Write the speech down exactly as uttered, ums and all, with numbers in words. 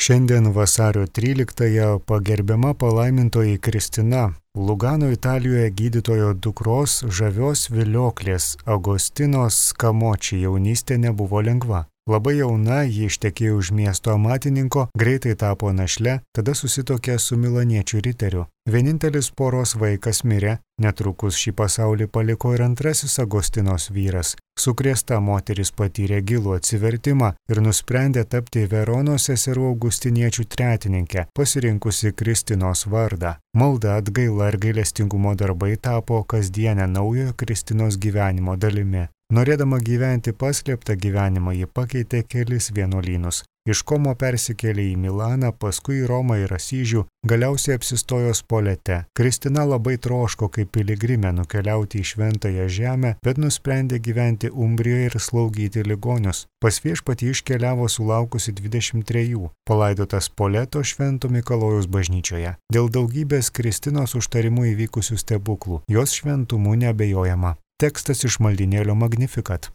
Šiandien vasario tryliktąją pagerbiama palaimintoji Kristina, Lugano Italijoje gydytojo dukros žavios vilioklės Agostinos Skamoči jaunystė nebuvo lengva. Labai jauna, ji ištekėjo už miesto amatininko, greitai tapo našle, tada susituokė su milaniečių riteriu. Vienintelis poros vaikas mirė, netrukus šį pasaulį paliko ir antrasis Agostinos vyras. Sukrėsta moteris patyrė gilų atsivertimą ir nusprendė tapti Veronos seserų augustiniečių tretininke, pasirinkusi Kristinos vardą. Malda, atgaila ir gailestingumo darbai tapo kasdienę naujojo Kristinos gyvenimo dalimi. Norėdama gyventi paslėptą gyvenimą, ji pakeitė kelis vienuolynus. Iš Komo persikėlė į Milaną, paskui į Romą ir Asyžių, galiausiai apsistojo Spolete. Kristina labai troško kaip piligrimė nukeliauti į šventąją žemę, bet nusprendė gyventi Umbrijoje ir slaugyti ligonius. Pas viešpatį iškeliavo sulaukusi dvidešimt trejų, palaidota Spoleto Švento Mikalojaus bažnyčioje. Dėl daugybės Kristinos užtarimų įvykusių stebuklų, jos šventumu neabejojama. Tekstas iš maldynėlio Magnificat.